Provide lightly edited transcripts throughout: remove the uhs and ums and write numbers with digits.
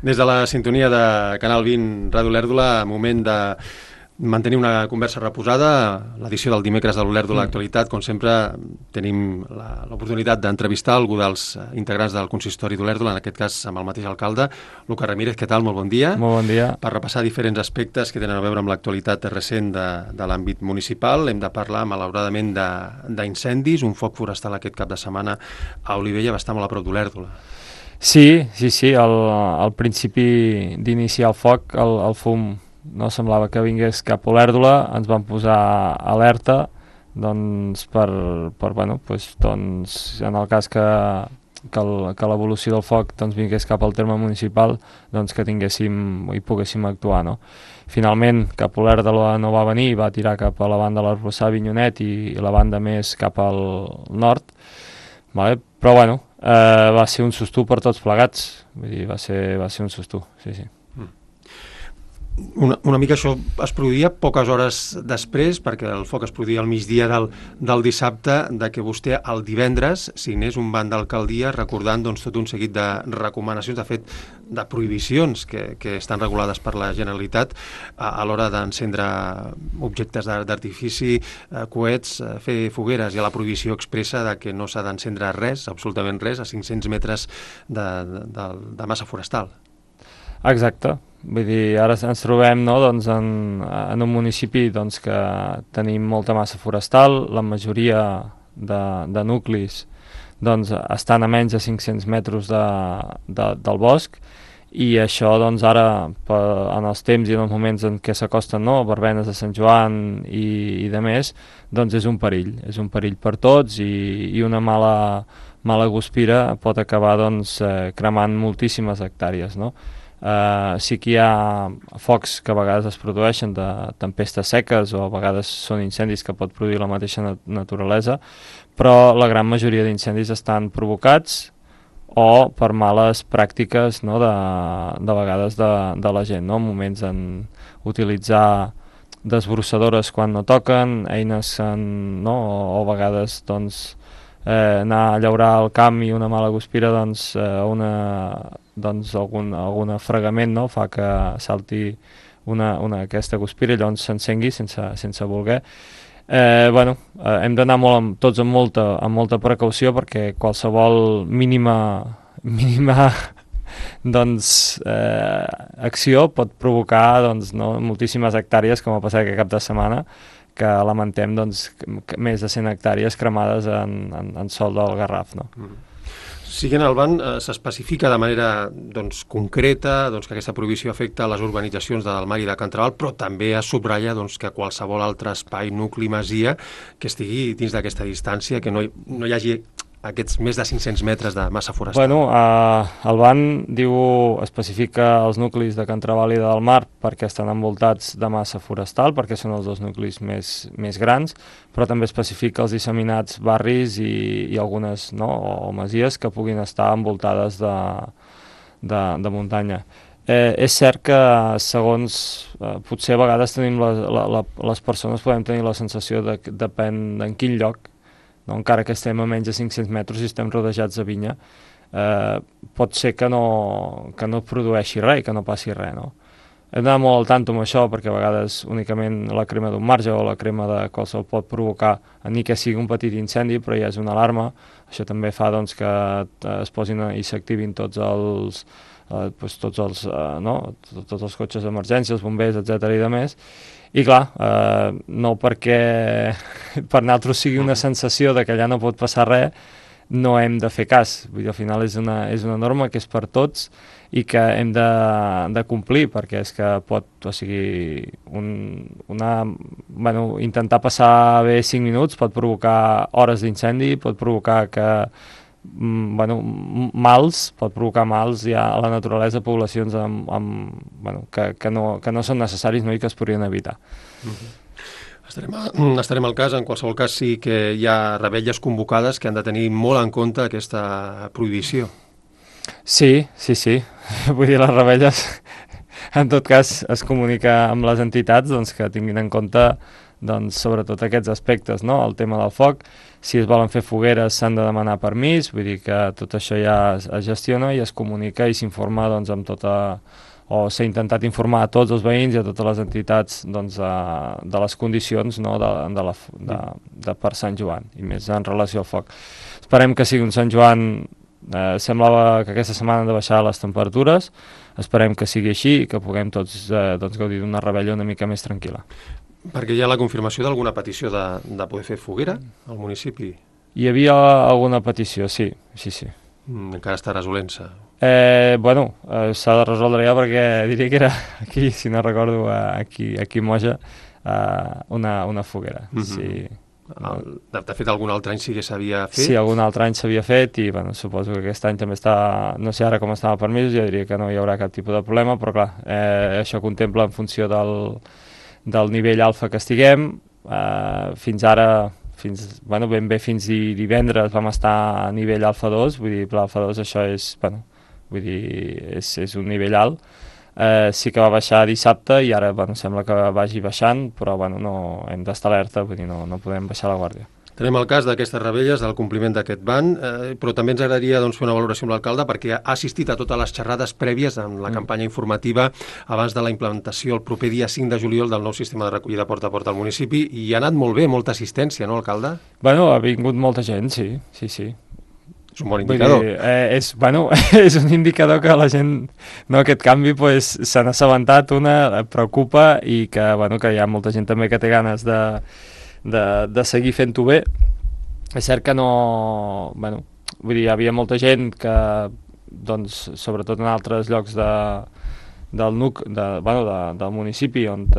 Des de la sintonia de Canal 20 Ràdio Olèrdola, moment de mantenir una conversa reposada. L'edició del dimecres de l'Olèrdola Actualitat, com sempre, tenim l'oportunitat d'entrevistar algú dels integrants del consistori d'Olèrdola, en aquest cas amb el mateix alcalde. Lucas Ramírez, què tal? Molt bon dia. Molt bon dia. Per repassar diferents aspectes que tenen a veure amb l'actualitat recent de l'àmbit municipal, hem de parlar, malauradament, d'incendis, un foc forestal aquest cap de setmana a Olivella, bastant molt a prop d'Olèrdola. Sí. Al principi d'iniciar el foc, el fum no semblava que vingués cap a Olèrdola, ens van posar alerta doncs, en el cas que l'evolució del foc doncs, vingués cap al terme municipal, doncs, que tinguéssim i poguéssim actuar, no? Finalment, cap a Olèrdola no va venir, va tirar cap a la banda de l'Arboçar, Vinyonet i la banda més cap al nord, vale? Però va ser un susto per tots plegats, vull dir, va ser un susto, sí. Una mica això es produïa poques hores després, perquè el foc es produïa al migdia del dissabte, de que vostè el divendres signés un banc d'alcaldia recordant doncs, tot un seguit de recomanacions, de fet, de prohibicions que estan regulades per la Generalitat a l'hora d'encendre objectes d'artifici, coets, fer fogueres. Hi ha la prohibició expressa de que no s'ha d'encendre res, absolutament res, a 500 metres de massa forestal. Exacte. Vull dir, ara ens trobem doncs, en un municipi doncs, que tenim molta massa forestal, la majoria de nuclis doncs, estan a menys de 500 metres del bosc, i això doncs, ara, en els temps i en els moments en què s'acosten verbenes de Sant Joan i de més, doncs és un perill per tots, i una mala guspira pot acabar doncs, cremant moltíssimes hectàrees, no? Sí que hi ha focs que a vegades es produeixen de tempestes seques, o a vegades són incendis que pot produir la mateixa naturalesa, però la gran majoria d'incendis estan provocats o per males pràctiques, no, de vegades de la gent, no? Moments en utilitzar desbrossadores quan no toquen, eines o a vegades doncs, anar a llaurar al camp i una mala guspira doncs, algun fregament, no? Fa que salti aquesta guspira i llavors s'encengui sense voler. Hem d'anar tots amb molta precaució, perquè qualsevol mínima doncs, acció pot provocar doncs, moltíssimes hectàrees, com ha passat aquest cap de setmana, que lamentem doncs, més de 100 hectàrees cremades en sòl del Garraf, no? Siguent el banc, s'especifica de manera doncs, concreta doncs, que aquesta prohibició afecta les urbanitzacions del Mar i de Can Trabal, però també es subratlla doncs, que qualsevol altre espai, nucli, masia, que estigui dins d'aquesta distància, que no hi hagi aquests més de 500 metres de massa forestal. El ban especifica els nuclis de Can Trabal i del Mar perquè estan envoltats de massa forestal, perquè són els dos nuclis més grans, però també especifica els disseminats barris i algunes o masies que puguin estar envoltades de muntanya. És cert que segons potser a vegades tenim les persones podem tenir la sensació de que depèn en quin lloc, no? Encara que estem a menys de 500 metres i estem rodejats de vinya, pot ser que no produeixi res, que no passi res, no? Hem d'anar molt al tanto amb això, perquè a vegades únicament la crema d'un marge o la crema de qualsevol pot provocar, ni que sigui un petit incendi, però ja és una alarma. Això també fa doncs, que es posin i s'activin tots els cotxes d'emergència, els bombers, etc. i de més. I clar, no perquè per nosaltres sigui una sensació de que allà no pot passar res, no hem de fer cas. Vull dir, al final és una norma que és per tots i que hem de complir, perquè és que pot, intentar passar bé 5 minuts pot provocar hores d'incendi, pot provocar pot provocar mals ja a la naturalesa, poblacions que no són necessaris, no, i que es podrien evitar. Estarem al cas. En qualsevol cas sí que hi ha revetlles convocades que han de tenir molt en compte aquesta prohibició. Sí. Vull dir, les revetlles en tot cas es comunica amb les entitats doncs, que tinguin en compte doncs, sobretot aquests aspectes, no? El tema del foc, si es volen fer fogueres s'han de demanar permís, vull dir que tot això ja es gestiona i es comunica i s'informa doncs, amb tota... o s'ha intentat informar a tots els veïns i a totes les entitats doncs, de les condicions, no? de per Sant Joan, i més en relació al foc. Esperem que sigui un Sant Joan, semblava que aquesta setmana han de baixar les temperatures, esperem que sigui així i que puguem tots doncs, gaudir d'una revetlla una mica més tranquil·la. Perquè hi ha la confirmació d'alguna petició de poder fer foguera al municipi? Hi havia alguna petició, sí. Encara està resolent-se? Bueno, s'ha de resoldre ja perquè diria que era aquí, si no recordo, aquí a Moja, una foguera. Sí. De fet, algun altre any sí que s'havia fet? Sí, algun altre any s'havia fet i bueno, suposo que aquest any també està... No sé ara com estan els permisos, ja diria que no hi haurà cap tipus de problema, però clar, això contempla en funció del nivell alfa que estiguem. Fins ara, ben bé fins divendres vam estar a nivell alfa 2, vull dir, l'alfa 2 això és, és un nivell alt. Sí que va baixar dissabte i ara sembla que vagi baixant, però no hem d'estar alerta, vull dir, no podem baixar la guàrdia. Tenim el cas d'aquestes revetlles, del compliment d'aquest ban, però també ens agradaria fer una valoració amb l'alcalde perquè ha assistit a totes les xerrades prèvies en la campanya informativa abans de la implementació el proper dia 5 de juliol del nou sistema de recollida porta a porta al municipi i ha anat molt bé, molta assistència, no, alcalde? Ha vingut molta gent, sí. És un bon indicador. És un indicador que la gent, aquest canvi, se n'ha assabentat, preocupa i que hi ha molta gent també que té ganes de seguir fent-ho bé. És cert que hi havia molta gent que, doncs, sobretot en altres llocs del municipi on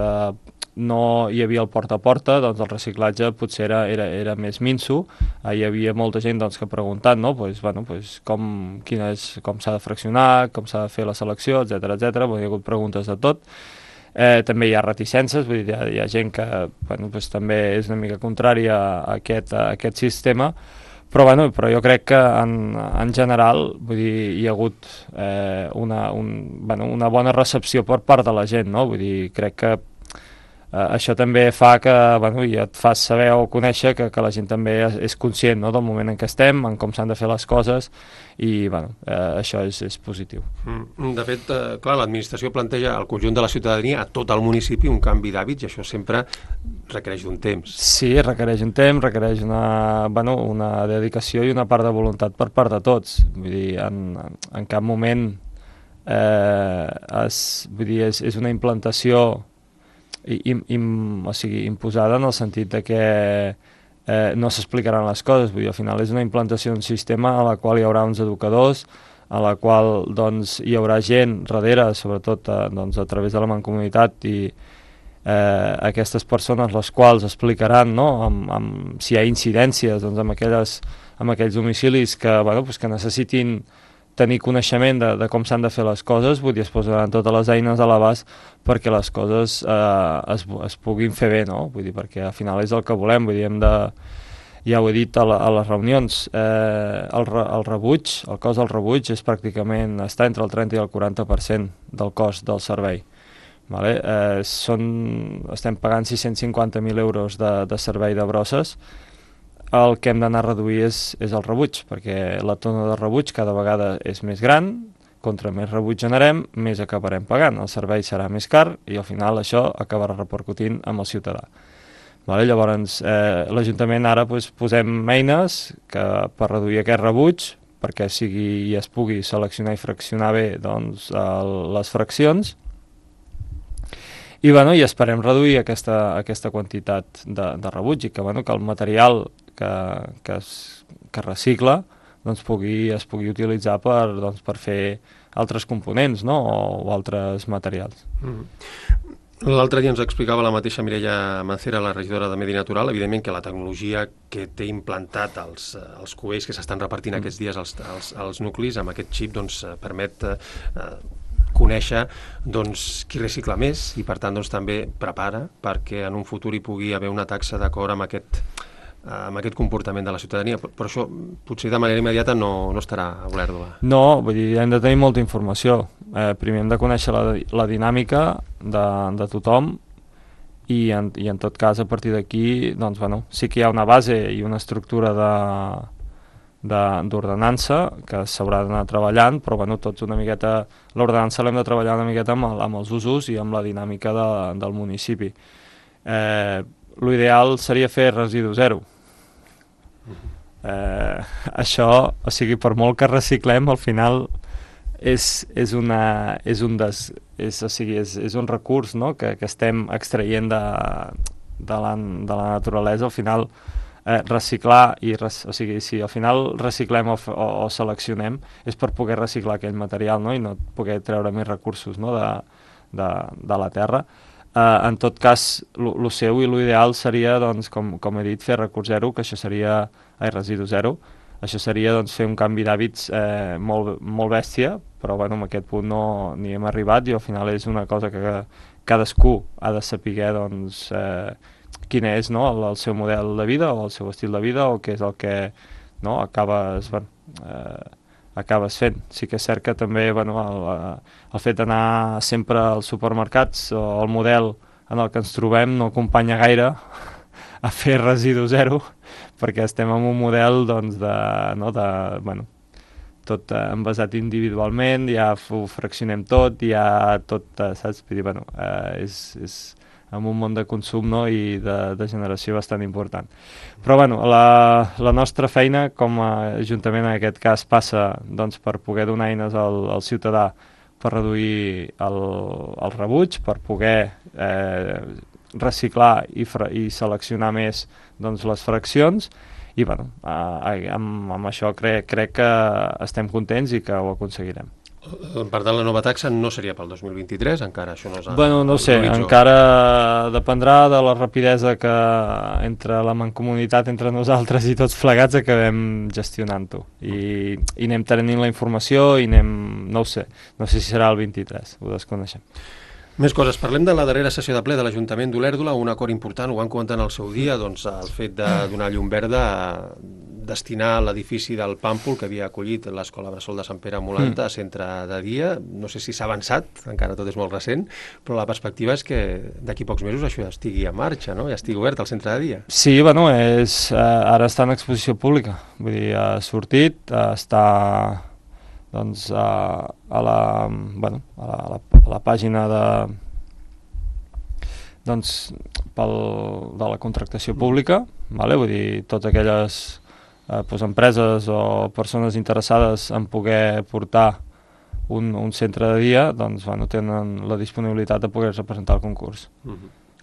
no hi havia el porta a porta, doncs el reciclatge potser era més minso. Hi havia molta gent que preguntant com s'ha de fraccionar, com s'ha de fer la selecció, etc. Hi ha hagut preguntes de tot. També hi ha reticències, vull dir, hi ha gent que també és una mica contrària a aquest sistema, però jo crec que en general hi ha hagut una bona recepció per part de la gent, no? Vull dir, crec que això també fa que ja et fas saber o conèixer que la gent també és conscient, no, del moment en què estem, en com s'han de fer les coses i això és positiu. De fet, clar, l'administració planteja al conjunt de la ciutadania, a tot el municipi, un canvi d'hàbits i això sempre requereix d'un temps. Sí, requereix un temps, requereix una dedicació i una part de voluntat per part de tots. Vull dir, en cap moment és una implantació imposada en el sentit de que no s'explicaran les coses, vull dir, al final és una implantació d'un sistema a la qual hi haurà uns educadors, a la qual hi haurà gent darrere, sobretot a través de la mancomunitat i aquestes persones les quals explicaran si hi ha incidències en aquells domicilis que necessitin tenir coneixement de com s'han de fer les coses, vull dir, es posaran totes les eines a l'abast perquè les coses es puguin fer bé, no? Vull dir, perquè al final és el que volem, vull dir, ja ho he dit a les reunions, el rebuig, el cost del rebuig és pràcticament, està entre el 30 i el 40% del cost del servei. Vale? Estem pagant 650.000 euros de servei de brosses. El que hem d'anar a reduir és el rebuig, perquè la tona de rebuig cada vegada és més gran, contra més rebuig generem, més acabarem pagant, el servei serà més car i al final això acabarà repercutint amb el ciutadà. Vale? Llavors, l'Ajuntament ara posem eines per reduir aquest rebuig, perquè es pugui seleccionar i fraccionar bé les fraccions, i esperem reduir aquesta quantitat de rebuig i que el material que es recicla es pugui utilitzar per fer altres components, no? O altres materials. L'altre dia ens explicava la mateixa Mireia Mancera, la regidora de Medi Natural, evidentment que la tecnologia que té implantat els cubells que s'estan repartint aquests dies als nuclis, amb aquest xip permet conèixer qui recicla més i per tant també prepara perquè en un futur hi pugui haver una taxa d'acord amb aquest comportament de la ciutadania, però això potser de manera immediata no estarà a Olèrdola. No, vull dir, hem de tenir molta informació. Primer hem de conèixer la dinàmica de tothom i en tot cas a partir d'aquí doncs, bueno, sí que hi ha una base i una estructura d'ordenança que s'haurà d'anar treballant, però bueno, tots una miqueta, l'ordenança l'hem de treballar una miqueta amb els usos i amb la dinàmica del municipi. L'ideal seria fer residu zero. Això, o sigui, per molt que reciclem, al final és un recurs, no?, que estem extraient de la naturalesa. Al final reciclar o sigui, si al final reciclem o seleccionem és per poder reciclar aquell material, no?, i no poder treure més recursos, no?, de la terra. En tot cas, el seu i l'ideal seria, doncs, com he dit, fer recurs zero, que això seria residu zero. Això seria, doncs, fer un canvi d'hàbits molt bèstia, però bueno, en aquest punt no n'hi hem arribat i al final és una cosa que cadascú ha de saber, doncs, quin és, no?, el seu model de vida o el seu estil de vida o què és el que, no?, acabes fent. Sí que és cert que també, bueno, el fet d'anar sempre als supermercats o el model en el que ens trobem no acompanya gaire a fer residu zero, perquè estem en un model, doncs, tot envasat individualment, ja ho fraccionem tot, ja tot, saps? Vull dir, bueno, és en un món de consum, no?, i de generació bastant important. Però bueno, la nostra feina com a Ajuntament en aquest cas passa, doncs, per poder donar eines al ciutadà per reduir el rebuig, per poder reciclar i seleccionar més, doncs, les fraccions, i bueno, amb això crec que estem contents i que ho aconseguirem. Per tant, la nova taxa no seria pel 2023, encara això no és... Bueno, no sé, encara dependrà de la rapidesa que entre la mancomunitat, entre nosaltres i tots plegats acabem gestionant-ho. I anem tenint la informació i no ho sé si serà el 23, ho desconeixem. Més coses. Parlem de la darrera sessió de ple de l'Ajuntament d'Olèrdola, un acord important, ho van comentar en el seu dia, doncs el fet de donar llum verda a destinar l'edifici del Pàmpol que havia acollit l'Escola Bressol de Sant Pere Molanta a centre de dia. No sé si s'ha avançat, encara tot és molt recent, però la perspectiva és que d'aquí pocs mesos això ja estigui en marxa, no?, ja estigui obert al centre de dia. Sí, bueno, ara està en exposició pública, vull dir, ha sortit, està, doncs, a la pàgina de la contractació pública, vale? Vull dir, totes aquelles empreses o persones interessades en poder portar un centre de dia, doncs, bueno, tenen la disponibilitat de poder representar el concurs.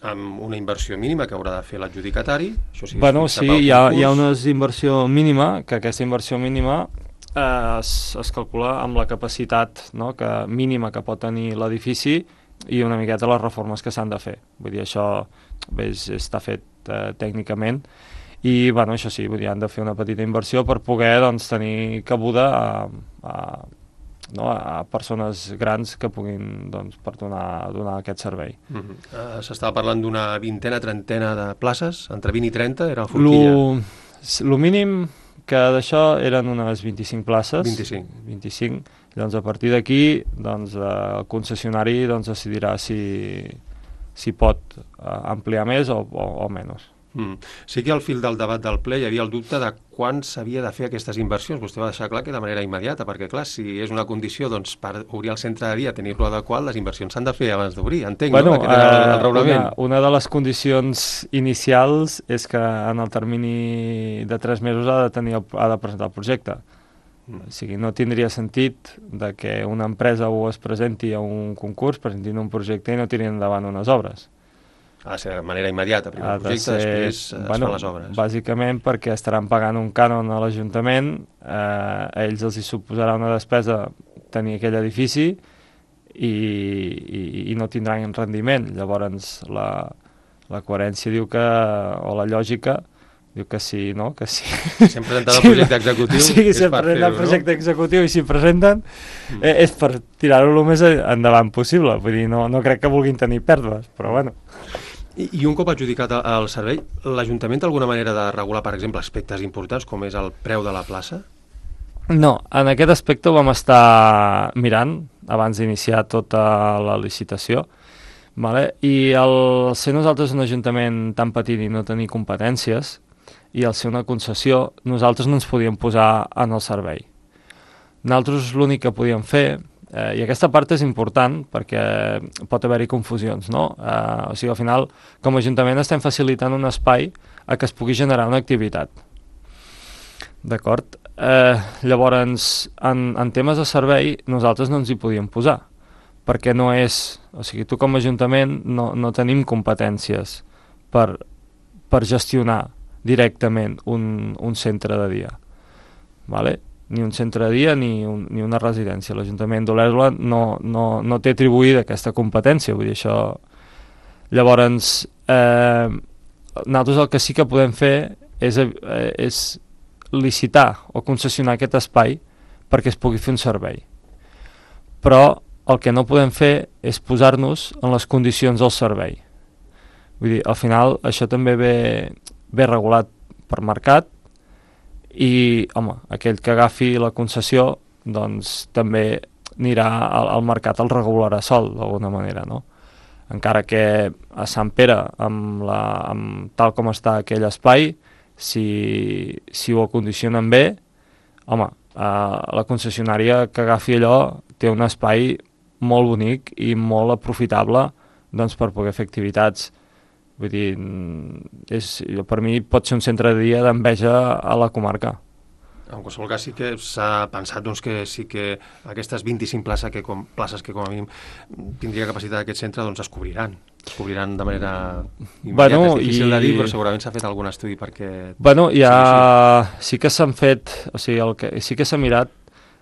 Amb una inversió mínima que haurà de fer l'adjudicatari? Bueno, sí, hi ha una inversió mínima, que aquesta inversió mínima es calcula amb la capacitat, no?, mínima que pot tenir l'edifici i una miqueta les reformes que s'han de fer. Vull dir, això està fet tècnicament i, bueno, això sí, vull dir, han de fer una petita inversió per poder, doncs, tenir cabuda a persones grans que puguin, doncs, per donar aquest servei. S'estava parlant d'una vintena, trentena de places, entre 20 i 30, era la forquilla? El mínim que d'això eren unes 25 places. 25. Llavors, a partir d'aquí, doncs, el concessionari, doncs, decidirà si pot ampliar més o menys. Sí que al fil del debat del ple hi havia el dubte de quan s'havia de fer aquestes inversions. Vostè va deixar clar que de manera immediata, perquè clar, si és una condició, doncs, per obrir el centre de dia, tenir-lo adequat, les inversions s'han de fer abans d'obrir, entenc, bueno, no? Aquest era el raonament. Una de les condicions inicials és que en el termini de 3 mesos ha de presentar el projecte. O sigui, no tindria sentit de que una empresa es presenti a un concurs, presentin un projecte i no tirin endavant unes obres. Ha de ser de manera immediata, primer el projecte, després es fan les obres. Bàsicament perquè estaran pagant un cànon a l'Ajuntament, a ells els hi suposarà una despesa tenir aquell edifici i no tindran rendiment. Llavors la coherència diu que, o la lògica, diu que sí, no? Que sí. Si hem presentat el projecte executiu, és per fer-ho, no? El projecte executiu i s'hi presenten és per tirar-ho el més endavant possible. Vull dir, no crec que vulguin tenir pèrdues, però bueno. I un cop adjudicat el servei, l'Ajuntament té alguna manera de regular, per exemple, aspectes importants com és el preu de la plaça? No, en aquest aspecte ho vam estar mirant abans d'iniciar tota la licitació, Vale? I el ser nosaltres un ajuntament tan petit i no tenir competències, i al ser una concessió, nosaltres no ens podíem posar en el servei. Nosaltres l'únic que podíem fer, i aquesta part és important perquè pot haver-hi confusions, no? O sigui, al final, com a Ajuntament estem facilitant un espai a que es pugui generar una activitat. D'acord? Llavors, en temes de servei, nosaltres no ens hi podíem posar, perquè no és... O sigui, tu com a Ajuntament no tenim competències per gestionar directament un centre de dia. Vale? Ni un centre de dia ni una residència. L'Ajuntament d'Olèrdola no té atribuïda aquesta competència, vull dir això... Llavors, nosaltres el que sí que podem fer és licitar o concessionar aquest espai perquè es pugui fer un servei. Però el que no podem fer és posar-nos en les condicions del servei. Vull dir, al final això també ve regulat per mercat i, home, aquell que agafi la concessió doncs també anirà al mercat, el regularà sol d'alguna manera, no? Encara que a Sant Pere, amb tal com està aquell espai, si ho acondicionen bé, home, la concessionària que agafi allò té un espai molt bonic i molt aprofitable doncs, per poder fer activitats. Vull dir, per mi pot ser un centre de dia d'enveja a la comarca. En qualsevol cas sí que s'ha pensat doncs, que sí que aquestes 25 places que com a mínim tindria capacitat aquest centre doncs es cobriran de manera immediata. És difícil de dir, però segurament s'ha fet algun estudi perquè... Bueno, sí que s'han fet, o sigui, el que sí que s'ha mirat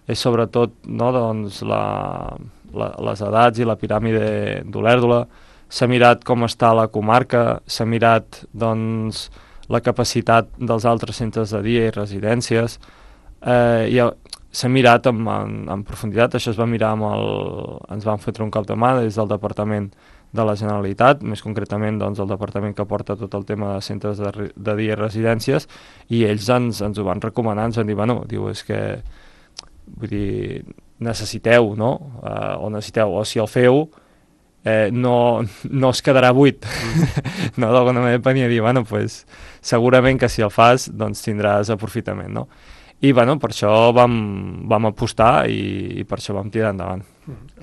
és sobretot no, doncs, les edats i la piràmide d'Olèrdola, s'ha mirat com està la comarca, s'ha mirat doncs, la capacitat dels altres centres de dia i residències, s'ha mirat en profunditat, això es va mirar ens van fotre un cop de mà des del Departament de la Generalitat, més concretament doncs, el departament que porta tot el tema de centres de dia i residències, i ells ens ho van recomanar, ens van dir, bueno, és que vull dir, necessiteu, no? O si el feu, no es quedarà buit. No, d'alguna manera venia a dir, bueno, pues, segurament que si el fas doncs tindràs aprofitament, no? I bueno, per això vam apostar i per això vam tirar endavant.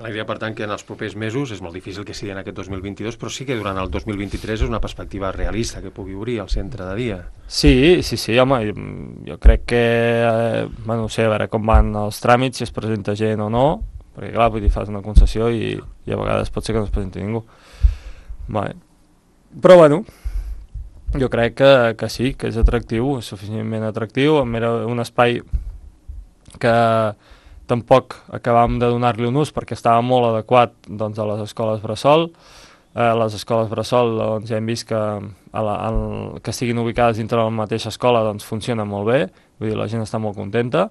La idea, per tant, que en els propers mesos, és molt difícil que sigui en aquest 2022, però sí que durant el 2023 és una perspectiva realista que pugui obrir el centre de dia. Sí, home, jo crec que, no sé, a veure com van els tràmits, si es presenta gent o no, perquè clar, vull dir, fas una concessió i a vegades pot ser que no es presenti ningú. Vale. Però bueno, jo crec que sí, que és atractiu, és suficientment atractiu, era un espai que tampoc acabàvem de donar-li un ús perquè estava molt adequat doncs, a les escoles bressol. Les escoles bressol doncs, ja hem vist que estiguin ubicades dintre de la mateixa escola doncs, funciona molt bé, vull dir, la gent està molt contenta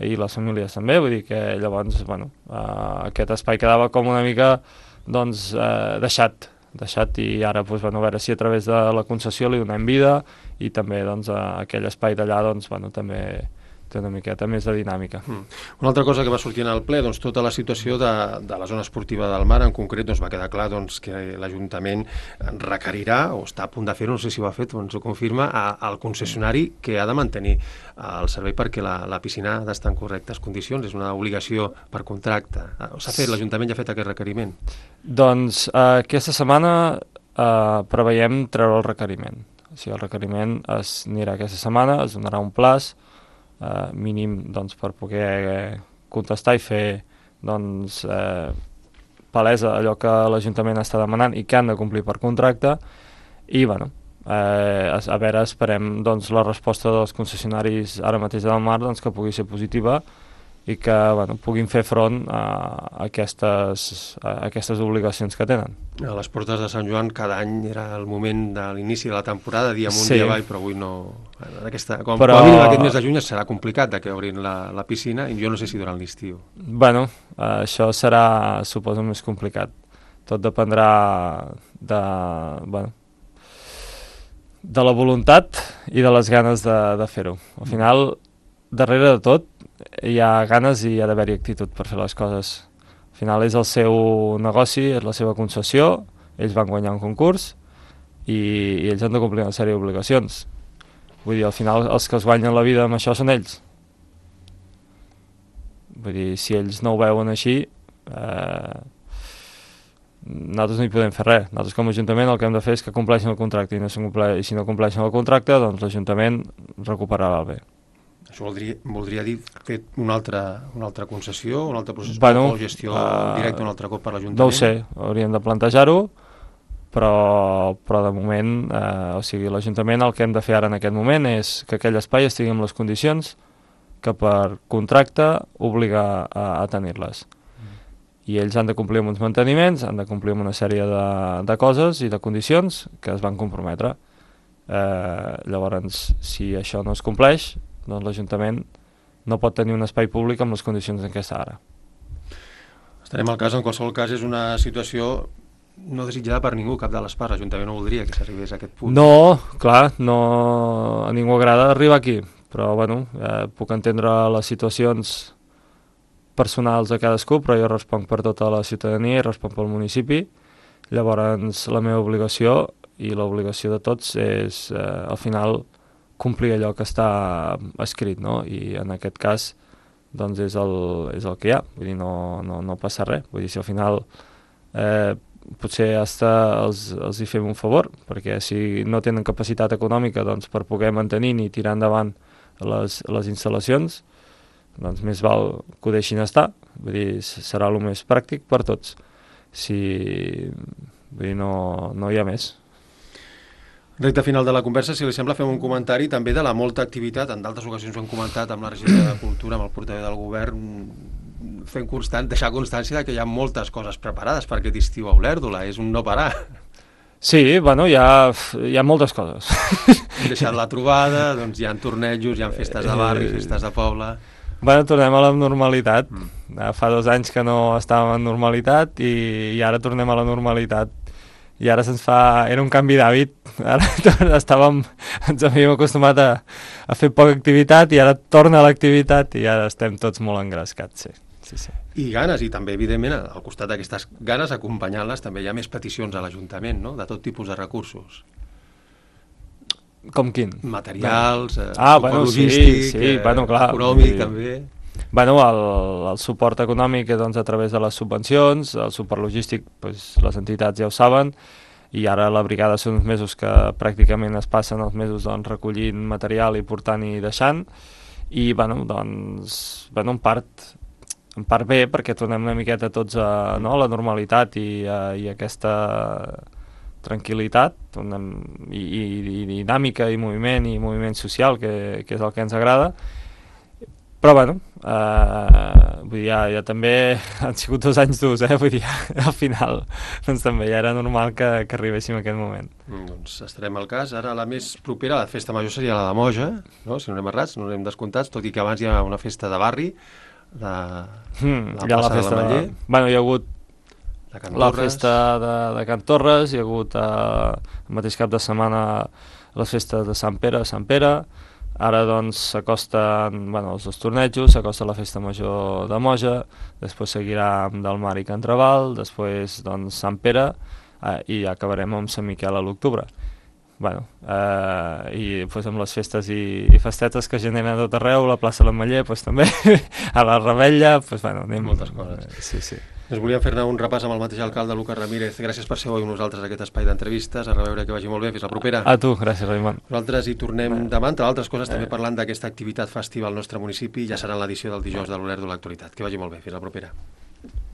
i les famílies també, vull dir que llavors aquest espai quedava com una mica doncs, deixat i ara doncs, a veure si a través de la concessió li donem vida i també doncs, aquell espai d'allà doncs, també té una miqueta més de dinàmica. Una altra cosa que va sortir en el ple, doncs tota la situació de la zona esportiva del Mar, en concret doncs, va quedar clar doncs, que l'Ajuntament requerirà, o està a punt de fer-ho, no sé si ho ha fet o ens ho confirma, al concessionari que ha de mantenir el servei perquè la piscina ha d'estar en correctes condicions, és una obligació per contracte. L'Ajuntament ja ha fet aquest requeriment? Doncs aquesta setmana preveiem treure el requeriment. O sigui, el requeriment anirà aquesta setmana, es donarà un plaç mínim doncs, per poder contestar i fer doncs, palesa allò que l'Ajuntament està demanant i que han de complir per contracte i bueno, a veure, esperem doncs, la resposta dels concessionaris ara mateix del Mar doncs, que pugui ser positiva i que puguin fer front a aquestes obligacions que tenen. A les portes de Sant Joan cada any era el moment de l'inici de la temporada, dia amunt, dia avall, però avui no... Com a mínim aquest mes de juny serà complicat que obrin la piscina i jo no sé si durant l'estiu. Bueno, això serà, suposo, més complicat. Tot dependrà de la voluntat i de les ganes de fer-ho. Al final, darrere de tot, hi ha ganes i hi ha d'haver-hi actitud per fer les coses. Al final és el seu negoci, és la seva concessió, ells van guanyar un concurs i ells han de complir una sèrie d'obligacions. Vull dir, al final els que es guanyen la vida amb això són ells. Vull dir, si ells no ho veuen així, nosaltres no hi podem fer res. Nosaltres com a Ajuntament el que hem de fer és que compleixin el contracte i si no compleixen el contracte, doncs l'Ajuntament recuperarà el bé. Això voldria dir fer una altra concessió, un altre procés bueno, de gestió directa un altre cop per l'Ajuntament? No ho sé, hauríem de plantejar-ho, però de moment, o sigui, l'Ajuntament el que hem de fer ara en aquest moment és que aquell espai estigui en les condicions que per contracte obliga a tenir-les. I ells han de complir amb uns manteniments, han de complir amb una sèrie de coses i de condicions que es van comprometre. Llavors, si això no es compleix, doncs l'Ajuntament no pot tenir un espai públic amb les condicions en què està ara. Estarem al cas, en qualsevol cas és una situació no desitjada per ningú, cap de les parts. L'Ajuntament no voldria que s'arribés a aquest punt. No, clar, a ningú agrada arribar aquí, però bueno, puc entendre les situacions personals de cadascú, però jo responc per tota la ciutadania i responc pel municipi. Llavors la meva obligació i l'obligació de tots és al final complir allò que està escrit, no? I en aquest cas doncs és el que hi ha, vull dir, no passa res. Vull dir, si al final potser els hi fem un favor, perquè si no tenen capacitat econòmica doncs, per poder mantenir ni tirar endavant les instal·lacions, doncs més val que ho deixin estar, vull dir, serà el més pràctic per tots. Vull dir, no hi ha més. Recte final de la conversa, si li sembla, fem un comentari també de la molta activitat, en d'altres ocasions ho hem comentat amb la regidora de Cultura, amb el portaveu del govern, deixar constància que hi ha moltes coses preparades per aquest estiu a Olèrdola, és un no parar. Sí, bueno, hi ha moltes coses. Hem deixat la trobada, doncs hi ha tornejos, hi ha festes de barri, festes de poble... Bueno, tornem a la normalitat. Fa 2 anys que no estàvem en normalitat i ara tornem a la normalitat. I ara era un canvi d'hàbit. Ara ens havíem acostumat a fer poca activitat i ara torna a l'activitat i ara estem tots molt engrescats, sí. I ganes, i també, evidentment, al costat d'aquestes ganes, acompanyant-les, també hi ha més peticions a l'Ajuntament, no?, de tot tipus de recursos. Com quin? Materials, suport logístic, econòmic, també. Bueno, el suport econòmic doncs, a través de les subvencions, el suport logístic, doncs, les entitats ja ho saben, i ara la brigada són uns mesos que pràcticament es passen els mesos doncs, recollint material i portant i deixant, i bueno, doncs, en part bé, perquè tornem una miqueta tots a la normalitat i aquesta tranquil·litat i dinàmica i moviment social, que és el que ens agrada. Però bueno, vull dir, ja també han sigut 2 anys durs, vull dir, al final doncs també ja era normal que arribéssim a aquest moment. Doncs estarem al cas. Ara la més propera a la festa major seria la de Moja, no? Si no anem errats, no anem descomptats, tot i que abans hi ha una festa de barri, la plaça de l'Ametller. Bueno, hi ha hagut la festa de Can Torres, hi ha hagut el mateix cap de setmana les festes de Sant Pere, ara doncs s'acosten els 2 tornejos, s'acosta la festa major de Moja, després seguirà amb Del Mar i Can Raval, després doncs Sant Pere i ja acabarem amb Sant Miquel a l'octubre. I doncs amb les festes i festetes que generen a tot arreu, la plaça l'Ametller també, a la Rebella, anem... Moltes coses. Sí. Doncs volíem fer-ne un repàs amb el mateix alcalde, Lucas Ramírez. Gràcies per ser avui amb nosaltres a aquest espai d'entrevistes. A reveure, que vagi molt bé. Fins la propera. A tu, gràcies, Raimon. Nosaltres hi tornem demà, entre altres coses, també parlant d'aquesta activitat festiva al nostre municipi. Ja serà en l'edició del dijous de l'Olèrdola Actualitat. Que vagi molt bé. Fins la propera.